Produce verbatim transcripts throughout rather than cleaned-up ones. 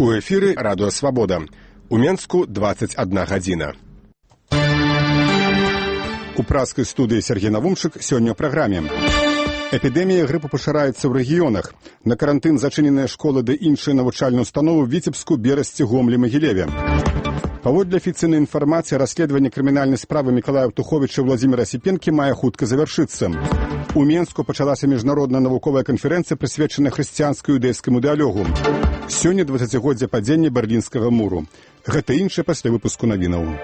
У эфіры радыё Свабода. У Менску двадцать одна гадзіна. У праскай студыі Сергей Навумчык сёння ў праграме. Эпідэмія грыпу пашыраецца ў рэгіёнах. На карантын зачыненыя школы ды іншыя навучальныя установы ў Віцебску, Берасці, Гомлі, Магілеве. Паводле афіцыйнай інфармацыі, расследаванне крымінальнай справы Мікалая Птуховіча і Владзіміра Сіпенкі мае хутка завяршыцца. У Менску пачалася міжнародная навуковая канферэнцыя, прысвечаная хрысціянскай іўдэйскаму дыялогу. Сёння дваццацігоддзе падзення Берлінскага муру. Гэта іншае пасля выпуску навінаў.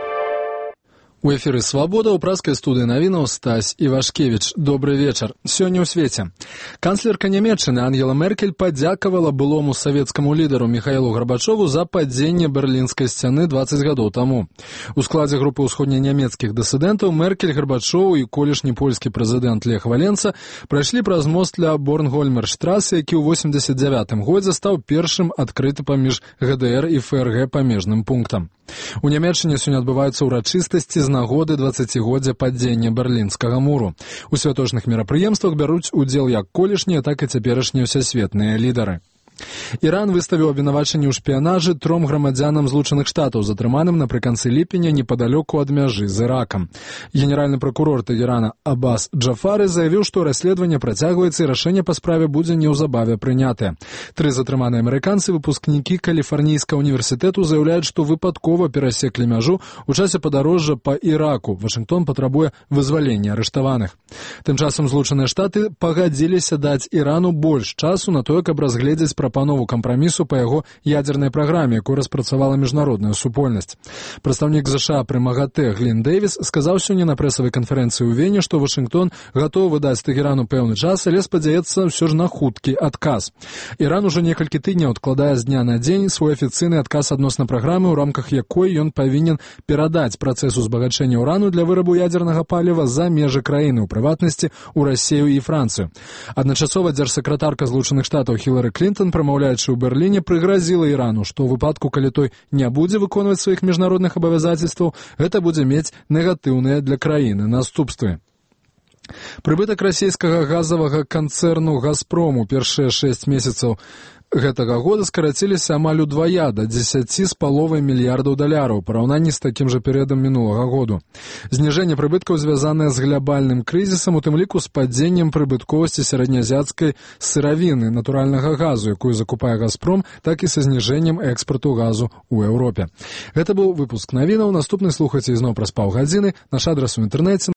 У эфіры «Свабода» ў праскай студыі навінаў Стась Івашкевіч. Добры вечар. Сёння ў свеце. Канцлерка Нямецчыны Ангела Меркель падзякавала былому савецкаму лідару Міхаілу Гарбачову за падзенне Берлінскай сцяны дваццаць гадоў таму. У складзе групы ўсходненямецкіх дысідэнтаў Меркель, Гарбачоў і колішні польскі прэзідэнт Лех Валенца прайшлі праз мост ля Борнгольмерштрасы, які ў восемьдесят девятым годзе стаў першым адкрыты паміж ГДР і ФРГ памежным пунктам. У Нямецчыне сёння адбываюцца ўрачыстасці з нагоды дваццацігоддзя падзення Берлінскага муру. У святочных мерапрыемствах бяруць удзел як колішнія, так і цяперашнія ўсесветныя лідары. Іран выставіў абвінавачанні ў шпіянажы тром грамадзянам Злучаных Штатаў, затрыманым напрыканцы ліпеня непадалёку ад мяжы з Іракам. Генеральны пракурор Тэгерана Аббас Джафары заявіў, што расследаванне працягваецца і рашэнне па справе будзе неўзабаве прынятае. Тры затрыманыя амерыканцы, выпускнікі Каліфарнійскага універсітэту, заяўляюць, што выпадкова перасеклі мяжу ў часе падарожжа па Іраку. Вашынгтон патрабуе вызвалення арыштаваных. Тым часам Злучаныя Штаты пагадзіліся даць Ірану больш часу на тое, каб разгледзець прапанову кампрамісу па яго ядзернай праграме, якую распрацавала міжнародная супольнасць. Прадстаўнік ЗША пры МАГАТЭ Глін Дэвіс сказаў сёння на прэсавай канферэнцыі ў Вене, што Вашынгтон гатовы даць Тэгерану пэўны час, але спадзяецца ўсё ж на хуткі адказ. Іран ужо некалькі тыдняў адкладае з дня на дзень свой афіцыйны адказ адносна праграмы, у рамках якой ён павінен перадаць працэс узбагачэння ўрану для вырабу ядзернага паліва за межы краіны, у прыватнасці ў Расію і Францыю. Адначасова дзяржсакратарка Злучаных Штатаў Хілары Клінтон, прамаўляючы ў Берліне, прыгразіла Ірану, што ў выпадку, калі той не будзе выконваць сваіх міжнародных абавязацельстваў, гэта будзе мець негатыўныя для краіны наступствы. Прыбытак расійскага газавага канцэрну «Газпрому» першыя шэсць месяцаў гэтага года скараціліся амаль удвая, да дзесяці з паловай мільярдаў даляраў, у параўнанні з такім жа перыядам мінулага году. Зніжэнне прыбыткаў звязанае з глябальным крызісам, у тым ліку з падзеннем прыбытковасці сярэднеазіяцкай сыравіны, натуральнага газу, якую закупае «Газпром», так і са зніжэннем экспарту газу ў Еўропе. Гэта быў выпуск навінаў. Наступны слухайце ізноў праз паўгадзіны. Наш адрас у інтэрнэце